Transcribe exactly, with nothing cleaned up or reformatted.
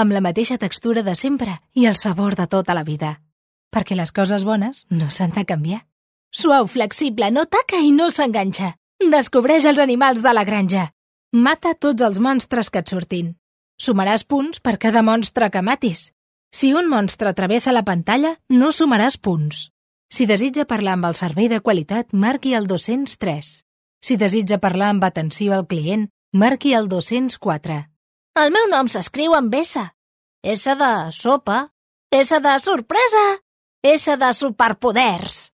amb la mateixa textura de sempre i el sabor de tota la vida. Perquè les coses bones no s'han de canviar. Suau, flexible, no taca i no s'enganxa. Descobreix els animals de la granja. Mata tots els monstres que et surtin. Sumaràs punts per cada monstre que matis. Si un monstre travessa la pantalla, no sumaràs punts. Si desitja parlar amb el servei de qualitat, marqui el dos-cents tres. Si desitja parlar amb atenció al client, marqui el dos-cents quatre. El meu nom s'escriu amb S. S de sopa. S de sorpresa. S de superpoders.